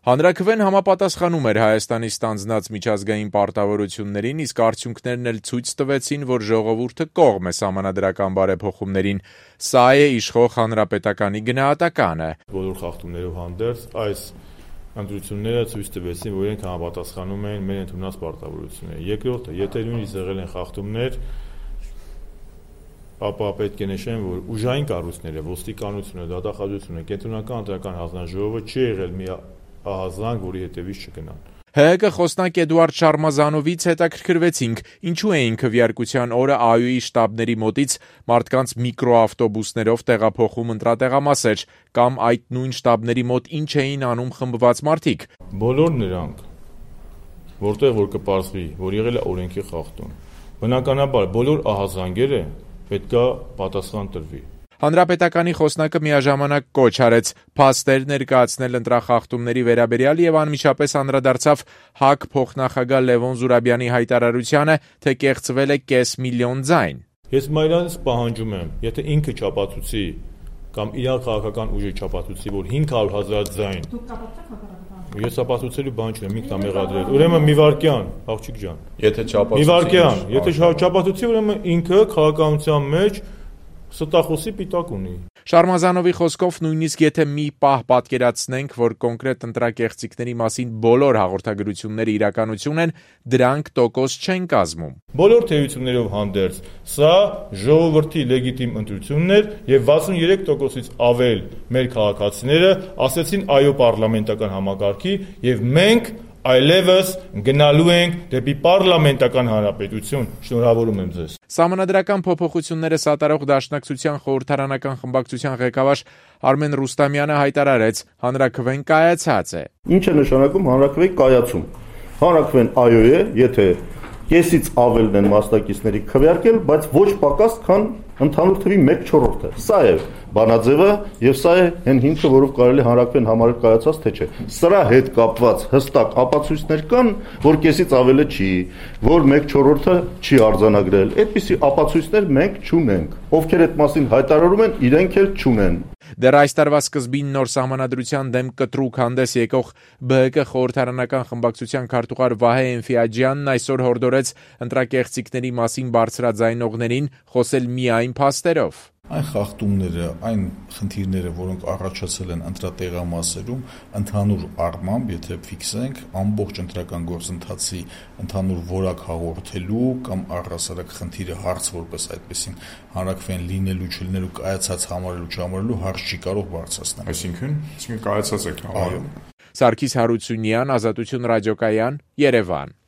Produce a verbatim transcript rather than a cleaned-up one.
Հանրաքվեն համապատասխանում էր Հայաստանի ստանձնած միջազգային պարտավորություններին, իսկ արդյունքներն էլ ցույց տվեցին, որ ժողովուրդը կողմ է սահմանադրական բարեփոխումներին։ Սա է իշխող հանրապետականի գնահատականը։ Բոլոր խախտումներով հանդերձ այս ընտրությունները ցույց տվեցին, որ իրենք համապատասխանում են մեր ընդունած պարտավորություններին։ Երկրորդը, եթե նույնիսկ եղել են խախտումներ, ապա պետք է նշեմ, որ ուժային կառույցները, ոստիկանությունը, դատախազությունը, կենտրոնական ընտրական հանձնաժողովը չի եղել մի ահազանգ, որի հետևից չգնան։ ՀՀԿ խոսնակ Էդուարդ Շարմազանովից հետաքրքրվեցինք, ինչու էին քվեարկության օրը ԱՅՈ-ի շտաբների մոտից մարդկանց միկրոավտոբուսներով տեղափոխում ընտրատեղամասեր, կամ այդ նույն շտաբների մոտ ինչ էին անում խմբված մարդիկ։ Բոլոր նրանք, որտեղ որ կպարզվի, որ եղել է օրենքի խախտում, բնականաբար բոլոր ահազանգերը պետք է պատասխան տրվի։ Հանրապետականի խոսնակը միաժամանակ կոչ արեց փաստեր ներկայացնել ընտրախախտումների վերաբերյալ եւ անմիջապես անդրադարձավ ՀԱԿ փոխնախագահ Լևոն Զուրաբյանի հայտարարությանը, թե կեղծվել է կես միլիոն ձայն։ Ես մայրանից պահանջում եմ, եթե ինքը չապացուցի կամ իրար քաղաքական ուժը չապացուցի, որ հինգ հարյուր հազար ձայն։ Ես ապացուցելու բան չունեմ, ինքն է մեղադրել։ Ուրեմն մի վարքյան, աղջիկ ջան։ Եթե չապացուցի։ Մի վարքյան, եթե չապացուցի, ուրեմն ինքը քաղաքականության մեջ ստախոսի պիտակ ունի։ Շարմազանովի խոսքով նույնիսկ եթե մի պահ պատկերացնենք, որ կոնկրետ ընտրակեղծիքների մասին բոլոր հաղորդագրությունները իրականություն են, դրանք տոկոս չեն կազմում։ Բոլոր թերություններով հանդերձ, սա ժողովրդի լեգիտիմ ընտրությունն էր եւ վաթսունուերեք տոկոսից ավել մեր քաղաքացիները ասեցին այո պարլամենտական համակարգի եւ մենք այլևս գնալու ենք դեպի պարլամենտական հանրապետություն։ Շնորհավորում եմ ձեզ։ Սահմանադրական փոփոխությունները սատարող դաշնակցության խորհրդարանական խմբակցության ղեկավար Արմեն Ռուստամյանը հայտարարեց, հանրաքվեն կայացած է։ Ինչ է նշանակում հանրաքվեի կայացում։ Հանրաքվեն այո է, եթե կեսից ավելն են մասնակիցների քվեարկել, բայց ոչ պակաս, քան ընդհանուր թվի մեկ չորրորդը։ Սա է բանաձևը եւ սա է այն հիմքը, որով կարելի հանրաքվեն համարել կայացած, թե չէ։ Սրա հետ կապված հստակ ապացույցներ կան, որ կեսից ավելը չի, որ մեկ չորրորդը չի արձանագրել։ Այդպիսի ապացույցներ մենք չունենք։ Ովքեր այդ մասին հայտարարում են, իրենք էլ չունեն։ Դեռ այս տարվա սկզբին նոր սահմանադրության դեմ կտրուկ հանդես եկող ԲՀԿ խորհրդարանական խմբակցության քարտուղար Վահե Էնֆիաջյանն այսօր հորդորեց ընտրակեղծիքների մասին բարձրաձայնողներին խոսել միայն փաստերով։ Այն խախտումները, այն խնդիրները, որոնք առաջացել են ընտրատեղամասերում, ընդհանուր առմամբ, եթե ֆիքսենք, ամբողջ ընտրական գործընթացի ընդհանուր որակ հաղորդելու կամ առհասարակ խնդիրը հարց որպես այդպեսին հանրաքվեն լինելու, չլինելու, կայացած համարելու, չհամարելու հարց չի կարող բարձրացնել։ Այսինքն, այսինքն կայացած է համարում։ Սարգիս Հարությունյան, Ազատություն ռադիոկայան, Երևան։